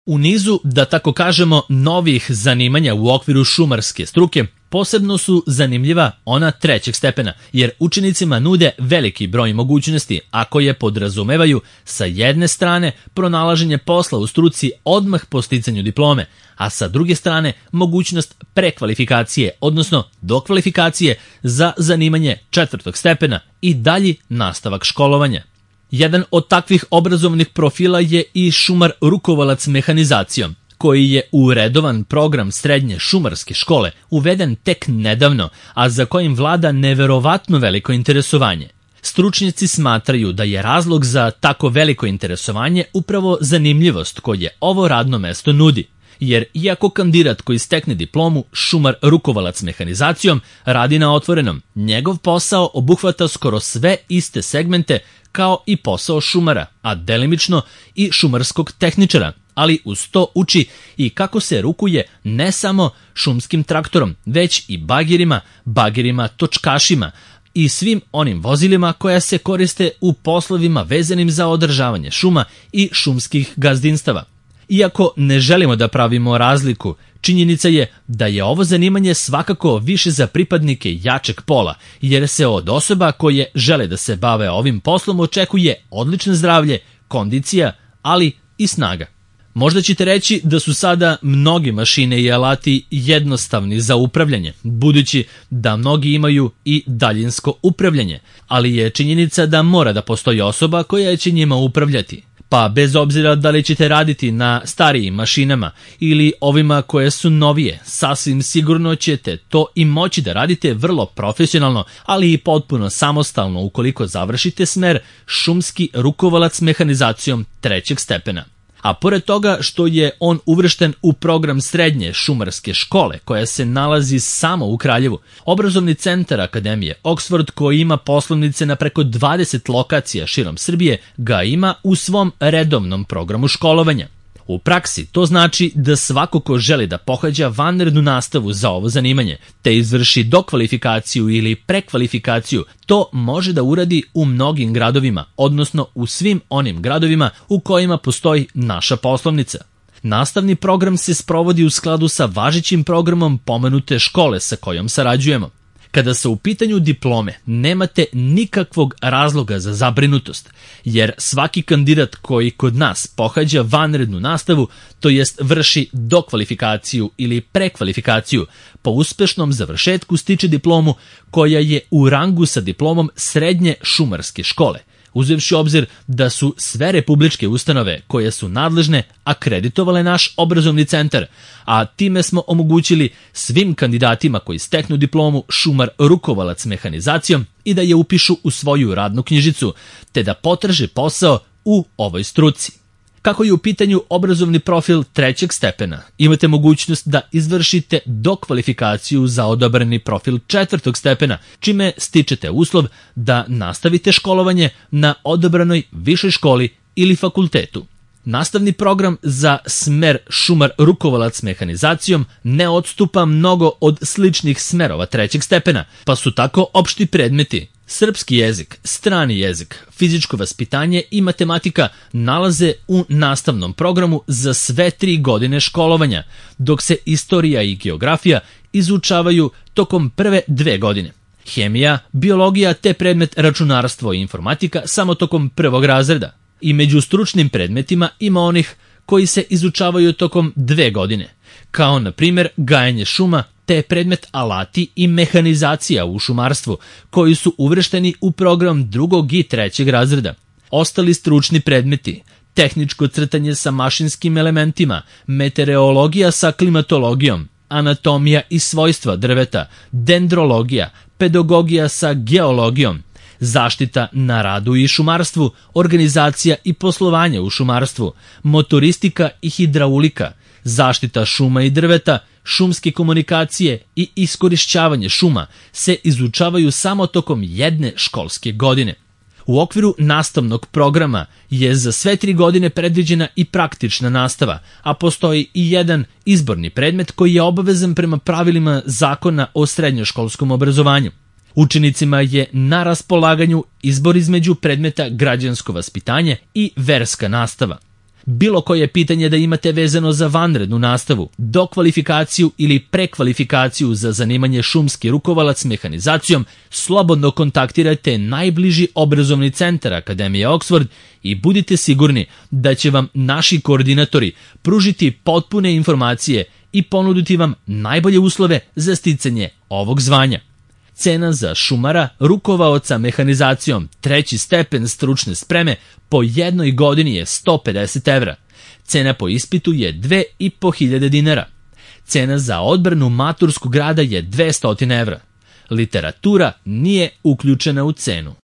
U nizu, da tako kažemo, novih zanimanja u okviru šumarske struke, posebno su zanimljiva ona trećeg stepena, jer učenicima nude veliki broj mogućnosti, a koje podrazumevaju sa jedne strane pronalaženje posla u struci odmah po sticanju diplome, a sa druge strane mogućnost prekvalifikacije, odnosno dokvalifikacije za zanimanje četvrtog stepena i dalji nastavak školovanja. Jedan od takvih obrazovnih profila je i šumar rukovalac mehanizacijom, koji je u redovan program srednje šumarske škole uveden tek nedavno, a za kojim vlada neverovatno veliko interesovanje. Stručnjaci smatraju da je razlog za tako veliko interesovanje upravo zanimljivost koje ovo radno mesto nudi. Jer iako kandidat koji stekne diplomu šumar rukovalac mehanizacijom radi na otvorenom, njegov posao obuhvata skoro sve iste segmente kao i posao šumara, a delimično i šumarskog tehničara, ali uz to uči i kako se rukuje ne samo šumskim traktorom, već i bagirima, točkašima i svim onim vozilima koja se koriste u poslovima vezanim za održavanje šuma i šumskih gazdinstava. Iako ne želimo da pravimo razliku, činjenica je da je ovo zanimanje svakako više za pripadnike jačeg pola, jer se od osoba koje žele da se bave ovim poslom očekuje odlično zdravlje, kondicija, ali i snaga. Možda ćete reći da su sada mnogi mašine i alati jednostavni za upravljanje, budući da mnogi imaju i daljinsko upravljanje, ali je činjenica da mora da postoji osoba koja će njima upravljati. Pa bez obzira da li ćete raditi na starijim mašinama ili ovima koje su novije, sasvim sigurno ćete to i moći da radite vrlo profesionalno, ali i potpuno samostalno ukoliko završite smer šumski rukovalac mehanizacijom trećeg stepena. A pored toga što je on uvršten u program srednje šumarske škole koja se nalazi samo u Kraljevu, obrazovni centar Akademije Oxford, koji ima poslovnice na preko 20 lokacija širom Srbije, ga ima u svom redovnom programu školovanja. U praksi to znači da svako ko želi da pohađa vanrednu nastavu za ovo zanimanje, te izvrši dokvalifikaciju ili prekvalifikaciju, to može da uradi u mnogim gradovima, odnosno u svim onim gradovima u kojima postoji naša poslovnica. Nastavni program se sprovodi u skladu sa važećim programom pomenute škole sa kojom sarađujemo. Kada su u pitanju diplome, nemate nikakvog razloga za zabrinutost, jer svaki kandidat koji kod nas pohađa vanrednu nastavu, to jest vrši dokvalifikaciju ili prekvalifikaciju, po uspešnom završetku stiče diplomu koja je u rangu sa diplomom srednje šumarske škole, uzevši obzir da su sve republičke ustanove koje su nadležne akreditovale naš obrazovni centar, a time smo omogućili svim kandidatima koji steknu diplomu šumar rukovalac mehanizacijom i da je upišu u svoju radnu knjižicu, te da potraže posao u ovoj struci. Kako je u pitanju obrazovni profil trećeg stepena, imate mogućnost da izvršite dokvalifikaciju za odabrani profil četvrtog stepena, čime stičete uslov da nastavite školovanje na odabranoj višoj školi ili fakultetu. Nastavni program za smer šumar rukovalac mehanizacijom ne odstupa mnogo od sličnih smerova trećeg stepena, pa su tako opšti predmeti srpski jezik, strani jezik, fizičko vaspitanje i matematika nalaze u nastavnom programu za sve 3 godine školovanja, dok se istorija i geografija izučavaju tokom prve 2 godine. Hemija, biologija te predmet računarstvo i informatika samo tokom 1. razreda. I među stručnim predmetima ima onih koji se izučavaju tokom 2 godine, kao na primjer gajenje šuma te predmet alati i mehanizacija u šumarstvu, koji su uvršteni u program 2. i 3. razreda. Ostali stručni predmeti: tehničko crtanje sa mašinskim elementima, meteorologija sa klimatologijom, anatomija i svojstva drveta, dendrologija, pedagogija sa geologijom, zaštita na radu i šumarstvu, organizacija i poslovanje u šumarstvu, motoristika i hidraulika, zaštita šuma i drveta, šumske komunikacije i iskorišćavanje šuma se izučavaju samo tokom 1 školske godine. U okviru nastavnog programa je za sve 3 godine predviđena i praktična nastava, a postoji i jedan izborni predmet koji je obavezan prema pravilima Zakona o srednjoškolskom obrazovanju. Učenicima je na raspolaganju izbor između predmeta građansko vaspitanje i verska nastava. bilo koje pitanje da imate vezano za vanrednu nastavu, dokvalifikaciju ili prekvalifikaciju za zanimanje šumski rukovalac mehanizacijom, slobodno kontaktirajte najbliži obrazovni centar Akademije Oxford i budite sigurni da će vam naši koordinatori pružiti potpune informacije i ponuditi vam najbolje uslove za sticanje ovog zvanja. Cena za šumara, rukovaoca mehanizacijom 3. stepen stručne spreme po jednoj godini je 150 evra. Cena po ispitu je 2.500 dinara. Cena za odbranu maturskog rada je 200 evra. Literatura nije uključena u cenu.